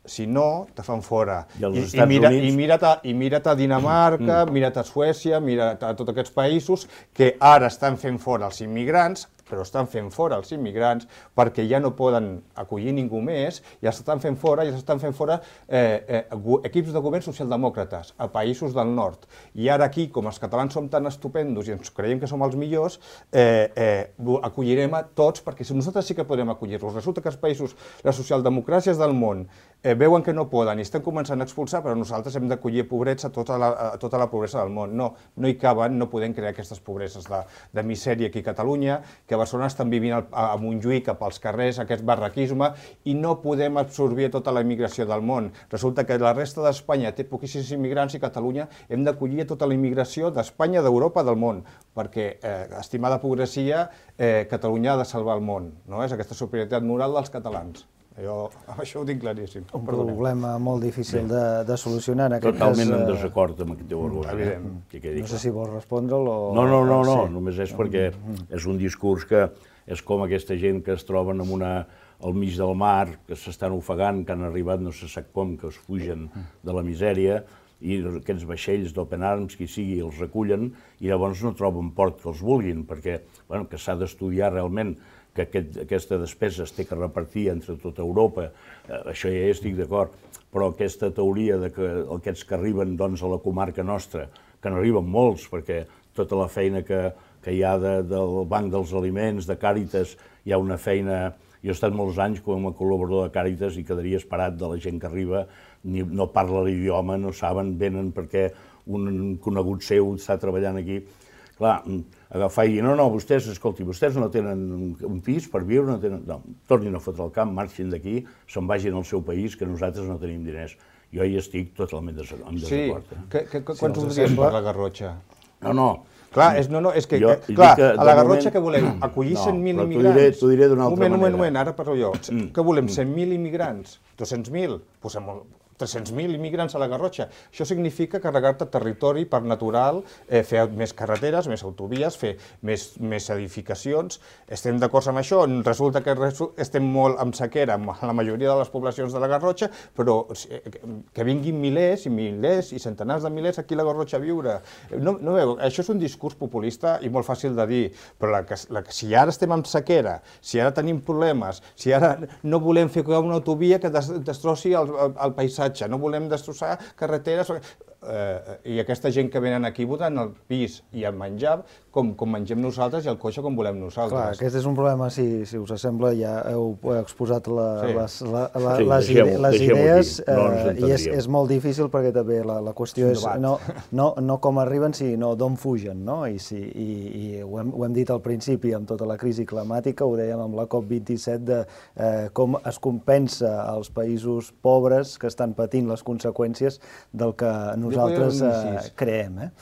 Si no, te fan fora. I mira't a Dinamarca, mira't a Suècia, mira't a tots aquests països que ara estan fent fora els immigrants, però estan fent fora els immigrants perquè ja no poden acollir ningú més, i els estan fent fora, i els estan fent fora equips de govern socialdemòcrates a països del nord. I ara aquí, com els catalans som tan estupendos i ens creiem que som els millors, acollirem a tots, perquè nosaltres sí que podem acollir-los. Resulta que els països, les socialdemocràcies del món, veuen que no poden i estan començant a expulsar, però nosaltres hem d'acollir pobrets a tota la pobresa del món. No, no hi caben, no podem crear aquestes pobreses de misèria aquí a Catalunya, que a Barcelona estan vivint a Montjuïc, pels carrers, aquest barraquisme, i no podem absorbir tota la immigració del món. Resulta que la resta d'Espanya té poquíssims immigrants i Catalunya hem d'acollir tota la immigració d'Espanya, d'Europa, del món, perquè, estimada progressia, Catalunya ha de salvar el món, és aquesta superioritat moral dels catalans. Jo això ho tinc claríssim. Un problema molt difícil de solucionar en aquest cas. Totalment en desacord amb aquest teu argument. No sé si vols respondre'l o... No, no, no, no, només és perquè és un discurs que és com aquesta gent que es troben al mig del mar, que s'estan ofegant, que han arribat no se sap com, que es fugen de la misèria, i aquests vaixells d'Open Arms, qui sigui, els recullen, i llavors no troben port que els vulguin, perquè s'ha d'estudiar realment que aquesta despesa es té que repartir entre tota Europa, això ja hi estic d'acord, però aquesta teoria que aquests que arriben a la comarca nostra, que n'arriben molts, perquè tota la feina que hi ha del Banc dels Aliments, de Càritas, hi ha una feina... Jo he estat molts anys com a col·laborador de Càritas i quedaria esperat de la gent que arriba, no parla l'idioma, no saben, venen perquè un conegut seu està treballant aquí. Clar, agafar i dir, no, no, vostès, escolti, vostès no tenen un pis per viure, no tenen... No, tornin a fotre el camp, marxin d'aquí, se'n vagin al seu país, que nosaltres no tenim diners. Jo hi estic totalment en desacord. Sí, quants voldries per la Garrotxa? No, no. Clar, és, no, no, és que, Jo, que clar, que, a la Garrotxa moment... que volem? Acollir No, cent mil però t'ho immigrants? diré- t'ho diré d'una altra moment, manera. Un moment, ara parlo jo. Mm. Què volem, cent mil immigrants? dos-cents mil? Posem tres-cents mil immigrants a la Garrotxa. Això significa carregar-te territori per natural, eh, fer més carreteres, més autovies, fer més, més edificacions. Estem d'acord amb això? Resulta que resu estem molt amb sequera amb la majoria de les poblacions de la Garrotxa, però que vinguin milers i milers i centenars de milers aquí a la Garrotxa a viure. No, no veu, això és un discurs populista i molt fàcil de dir, però la que, la, si ara estem amb sequera, si ara tenim problemes, si ara no volem fer una autovia que des, destrossi el, el, el paisatge, no volem destrossar carreteres, eh, i aquesta gent que venen aquí votant el pis i el menjar com, com mengem nosaltres i el cotxe com volem nosaltres. Clar, aquest és un problema, si, si us sembla, ja heu exposat la, sí. les, la, la, sí, les, deixem, les idees no eh, i és, és molt difícil perquè també la, la qüestió és, és no, no, no com arriben, sinó d'on fugen, no? I, si, i, i ho, hem, ho hem dit al principi amb tota la crisi climàtica, ho dèiem amb la COP vint-i-set, de eh, com es compensa als països pobres que estan patint les conseqüències del que nosaltres eh, creem. Eh?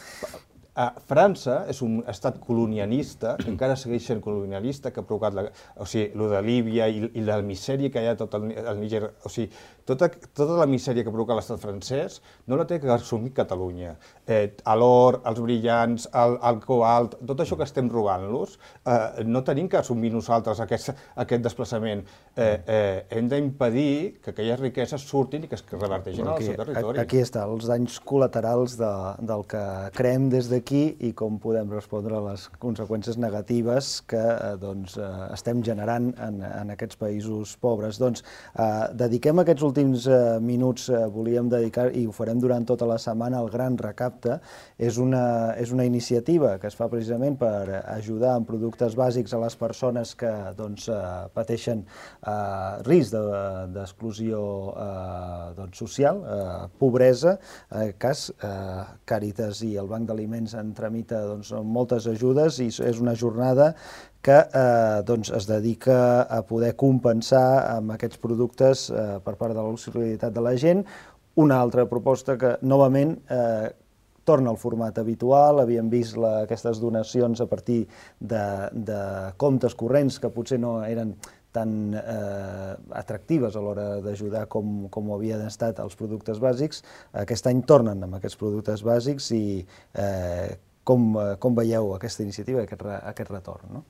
A França és un estat colonialista, que encara segueix sent colonialista, que ha provocat la, o sigui, lo de Líbia i, i la misèria que hi ha tot el, el Níger, o sigui, tota, tota la misèria que provoca l'estat francès no la té que assumir Catalunya. Eh, l'or, els brillants, el, el cobalt, tot això que estem robant-los, eh, no tenim que assumir nosaltres aquest, aquest desplaçament. Eh, eh, hem d'impedir que aquelles riqueses surtin i que es reverteixin al seu territori. Aquí està, els danys col·laterals de, del que creem des d'aquí i com podem respondre a les conseqüències negatives que eh, doncs, eh, estem generant en, en aquests països pobres. Doncs, eh, dediquem aquests últims eh, minuts, eh, volíem dedicar, i ho farem durant tota la setmana, al Gran Recapte. És una, és una iniciativa que es fa precisament per ajudar en productes bàsics a les persones que doncs, eh, pateixen eh, risc d'exclusió de, eh, doncs, social, eh, pobresa, en aquest cas eh, Càritas i el Banc d'Aliments en tramita doncs, moltes ajudes i és una jornada que eh, doncs, es dedica a poder compensar amb aquests productes eh, per part de la solidaritat de la gent. Una altra proposta que, novament, eh, torna al format habitual. Havíem vist la, aquestes donacions a partir de, de comptes corrents que potser no eren tan eh, atractives a l'hora d'ajudar com, com ho havien estat els productes bàsics. Aquest any tornen amb aquests productes bàsics i eh, com, com veieu aquesta iniciativa, aquest, aquest retorn? No?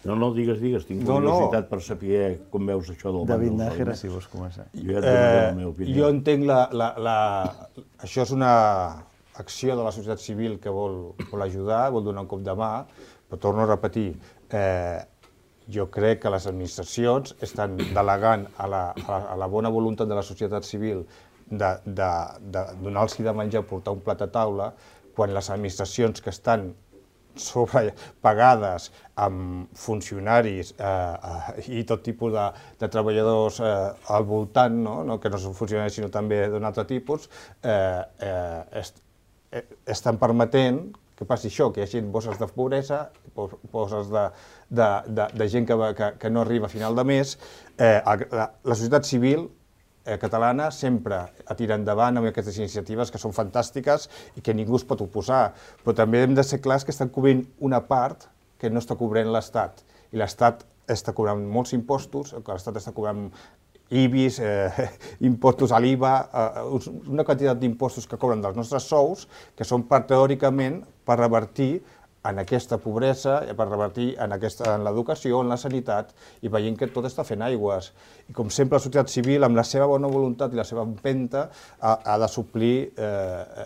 No, no, digues, digues, tinc no, curiositat no. per saber com veus això del David Banc dels Nájera, Aliments. si vols començar. Jo ja et donaré la meva opinió. Eh, jo entenc la, la, la... Això és una acció de la societat civil que vol, vol ajudar, vol donar un cop de mà, però torno a repetir, eh, jo crec que les administracions estan delegant a la, a la bona voluntat de la societat civil de, de, de donar-los de menjar, portar un plat a taula, quan les administracions que estan sobrepagades amb funcionaris eh, eh, i tot tipus de, de treballadors eh, al voltant, no? No, que no són funcionaris sinó també d'un altre tipus, eh, eh, est, eh, estan permetent que passi això, que hi hagi bosses de pobresa, bosses de, de, de, de gent que, que, que no arriba a final de mes. Eh, la, la societat civil eh, catalana sempre a tirar endavant amb aquestes iniciatives que són fantàstiques i que ningú es pot oposar, però també hem de ser clars que estan cobrint una part que no està cobrint l'Estat, i l'Estat està cobrant molts impostos, l'Estat està cobrant I B I S, eh, impostos a l'I V A, eh, una quantitat d'impostos que cobren dels nostres sous, que són part teòricament per revertir en aquesta pobresa, per revertir en, aquesta, en l'educació, en la sanitat, i veient que tot està fent aigües. I com sempre la societat civil, amb la seva bona voluntat i la seva empenta, ha, ha de suplir eh,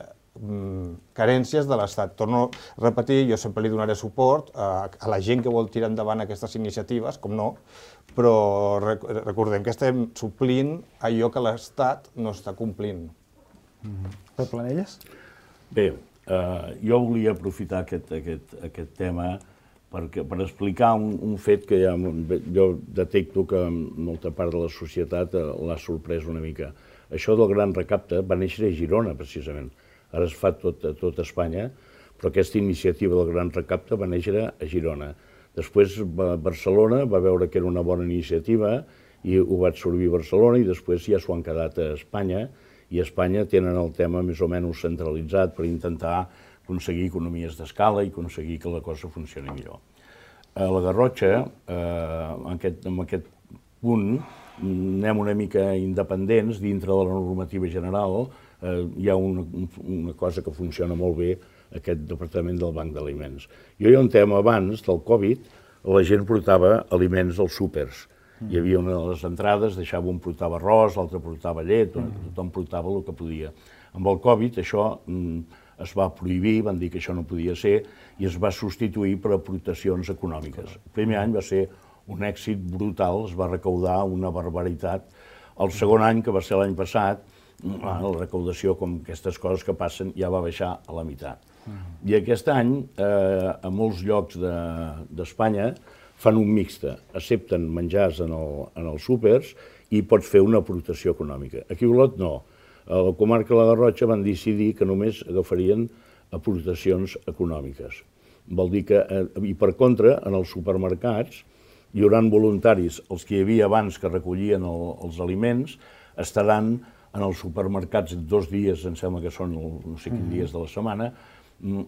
carències de l'Estat. Torno a repetir, jo sempre li donaré suport a, a la gent que vol tirar endavant aquestes iniciatives, com no, però recordem que estem suplint allò que l'Estat no està complint. Mm-hmm. Pep Planelles? Bé, eh, jo volia aprofitar aquest, aquest, aquest tema perquè, per explicar un, un fet que ja, jo detecto que molta part de la societat l'ha sorprès una mica. Això del Gran Recapte va néixer a Girona, precisament. Ara es fa tot, a tot Espanya, però aquesta iniciativa del Gran Recapte va néixer a Girona. Després Barcelona va veure que era una bona iniciativa i ho va absorbir Barcelona i després ja s'ho han quedat a Espanya, i a Espanya tenen el tema més o menys centralitzat per intentar aconseguir economies d'escala i aconseguir que la cosa funcioni millor. A la Garrotxa, en aquest punt, anem una mica independents dintre de la normativa general. Hi ha una cosa que funciona molt bé, aquest departament del Banc d'Aliments. Jo hi ha un tema abans del Covid, la gent portava aliments als súpers. Hi havia una de les entrades, deixava un portava arròs, l'altre portava llet, tothom portava el que podia. Amb el Covid això es va prohibir, van dir que això no podia ser, i es va substituir per aportacions econòmiques. El primer any va ser un èxit brutal, es va recaudar una barbaritat. El segon any, que va ser l'any passat, la recaudació, com aquestes coses que passen, ja va baixar a la meitat. I aquest any, a molts llocs d'Espanya, fan un mixte, accepten menjars en els súpers i pots fer una aportació econòmica. Aquí a Olot no. A la comarca de la Garrotxa van decidir que només agafarien aportacions econòmiques. Vol dir que, i per contra, en els supermercats hi haurà voluntaris, els que hi havia abans que recollien els aliments, estaran en els supermercats dos dies, em sembla que són no sé quins dies de la setmana,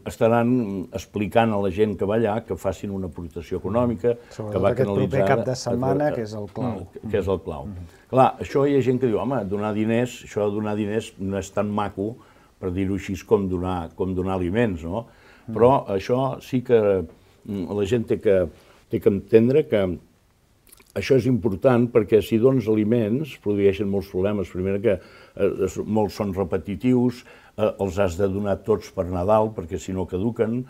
estaran explicant a la gent que va allà que facin una aportació econòmica, que va canalitzada... Sobretot aquest proper cap de setmana, que és el clau. Que és el clau. Clar, això hi ha gent que diu, home, donar diners, això de donar diners no és tan maco, per dir-ho així, com donar aliments, no? Però això sí que la gent té que entendre que això és important perquè si dones aliments produeixen molts problemes. Primer que molts són repetitius, els has de donar tots per Nadal perquè si no caduquen,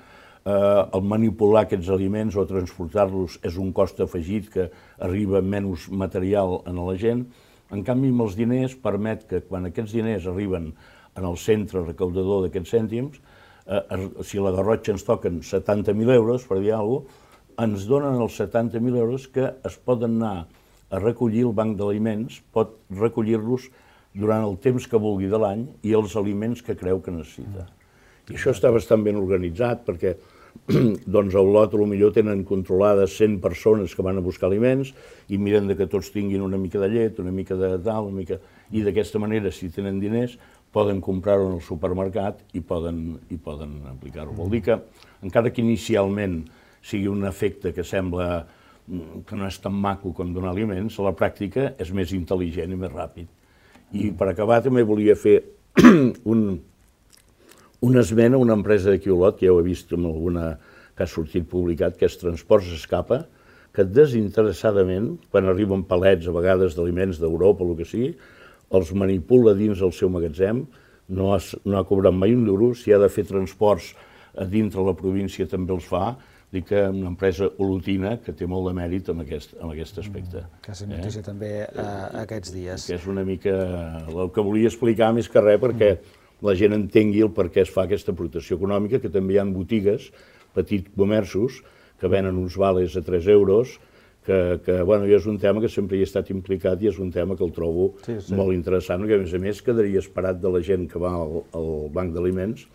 el manipular aquests aliments o transportar-los és un cost afegit que arriba menys material a la gent. En canvi, amb els diners permet que quan aquests diners arriben en el centre recaudador d'aquests cèntims, si a la Garrotxa ens toquen setanta mil euros, per dir alguna cosa, ens donen els setanta mil euros que es poden anar a recollir el banc d'aliments, pot recollir-los durant el temps que vulgui de l'any i els aliments que creu que necessita. I això està bastant ben organitzat perquè doncs a Olot potser tenen controlades cent persones que van a buscar aliments i miren que tots tinguin una mica de llet, una mica de tal, una mica... i d'aquesta manera, si tenen diners, poden comprar-ho en el supermercat i poden aplicar-ho. Vol dir que, encara que inicialment sigui un efecte que sembla que no és tan maco com donar aliments, a la pràctica és més intel·ligent i més ràpid. I per acabar també volia fer una esmena a una empresa d'aquí a Olot, que ja ho he vist en alguna que ha sortit publicat, que és Transports Escapa, que desinteressadament, quan arriben palets a vegades d'aliments d'Europa o el que sigui, els manipula dins del seu magatzem, no ha cobrat mai un duro, si ha de fer transports a dintre la província també els fa. Dic que una empresa olotina que té molt de mèrit en aquest aspecte. Que és notícia també aquests dies. Que és una mica el que volia explicar més que res perquè la gent entengui el per què es fa aquesta aportació econòmica, que també hi ha botigues, petits comerços, que venen uns vales a tres euros, que bueno, és un tema que sempre hi he estat implicat i és un tema que el trobo molt interessant, que a més a més quedaria esperat de la gent que va al banc d'aliments,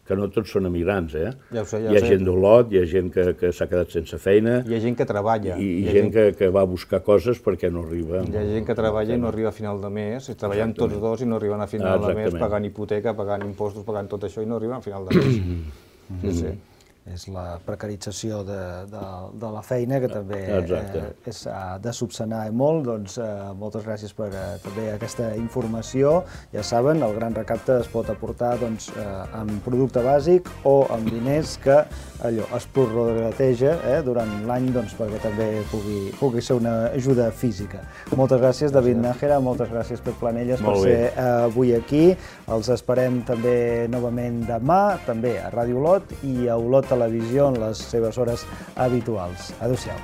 que no tots són emigrants, eh? Hi ha gent d'Olot, hi ha gent que s'ha quedat sense feina... Hi ha gent que treballa. I gent que va a buscar coses perquè no arriba... Hi ha gent que treballa i no arriba a final de mes, i treballen tots dos i no arriben a final de mes, pagant hipoteca, pagant impostos, pagant tot això i no arriben a final de mes. És la precarització de la feina, que també s'ha de subsanar molt. Doncs moltes gràcies per també aquesta informació. Ja saben, el Gran Recapte es pot aportar amb producte bàsic o amb diners que allò es prorrateja durant l'any perquè també pugui ser una ajuda física. Moltes gràcies, David Nájera, moltes gràcies, Pep Planelles, per ser avui aquí. Els esperem també novament demà, també a Ràdio Olot i a Olot Televisió en les seves hores habituals. Adéu-siau.